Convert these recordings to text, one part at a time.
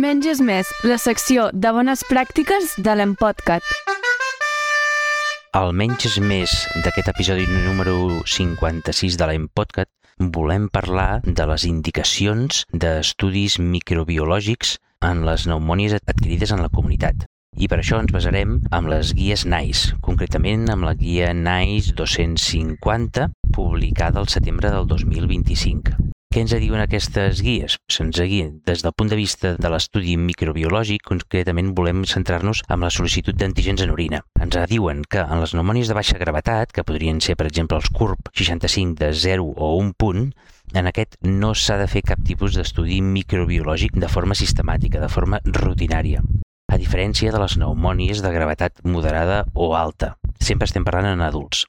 Menys és més, la secció de bones pràctiques de l'Empodcat. Al Menys és més d'aquest episodi número 56 de l'Empodcat volem parlar de les indicacions d'estudis microbiològics en les pneumònies adquirides en la comunitat. I per això ens basarem amb les guies NICE, concretament amb la guia NICE 250, publicada al setembre del 2025. Què ens diuen aquestes guies? Des del punt de vista de l'estudi microbiològic, concretament volem centrar-nos en la sol·licitud d'antígens en orina. Ens diuen que en les pneumònies de baixa gravetat, que podrien ser, per exemple, els CURP 65 de 0 o 1 punt, en aquest no s'ha de fer cap tipus d'estudi microbiològic de forma sistemàtica, de forma rutinària. A diferència de les pneumònies de gravetat moderada o alta. Sempre estem parlant en adults.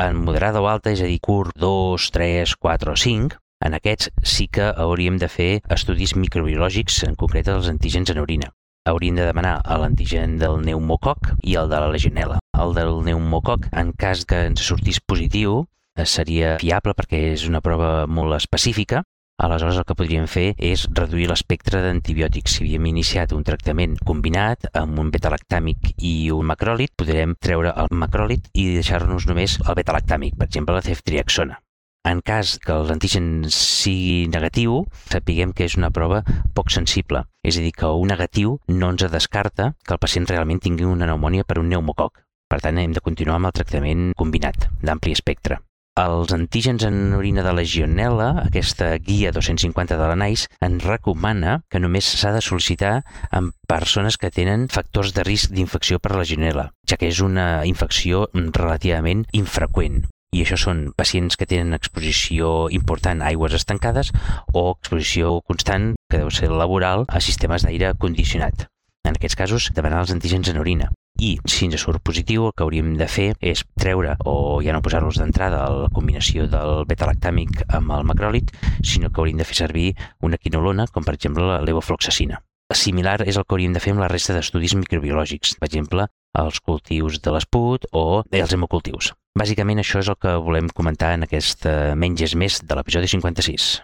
En moderada o alta, és a dir, CURP 2, 3, 4 o 5, en aquests sí que hauríem de fer estudis microbiològics, en concret els antígens en orina. Hauríem de demanar l'antigen del pneumococ i el de la legionel·la. El del pneumococ, en cas que ens sortís positiu, seria fiable perquè és una prova molt específica. Aleshores el que podríem fer és reduir l'espectre d'antibiòtics. Si havíem iniciat un tractament combinat amb un beta-lactàmic i un macròlid, podrem treure el macròlid i deixar-nos només el beta-lactàmic, per exemple la ceftriaxona. En cas que els antígens sigui negatiu, sapiguem que és una prova poc sensible. És a dir, que un negatiu no ens descarta que el pacient realment tingui una pneumònia per un pneumococ. Per tant, hem de continuar amb el tractament combinat, d'ampli espectre. Els antígens en orina de legionel·la, aquesta guia 250 de la NICE, ens recomana que només s'ha de sol·licitar en persones que tenen factors de risc d'infecció per legionel·la, ja que és una infecció relativament infreqüent. I això són pacients que tenen exposició important a aigües estancades o exposició constant, que deu ser laboral, a sistemes d'aire condicionat. En aquests casos, demanar els antígens en orina. I si ens surt positiu, el que hauríem de fer és treure, o ja no posar-los d'entrada, la combinació del beta-lactàmic amb el macròlid, sinó que hauríem de fer servir una quinolona, com per exemple la levofloxacina. Similar és el que hauríem de fer amb la resta d'estudis microbiològics, per exemple, els cultius de l'esput o els hemocultius. Bàsicament això és el que volem comentar en aquest Menys és més de l'episodi 56.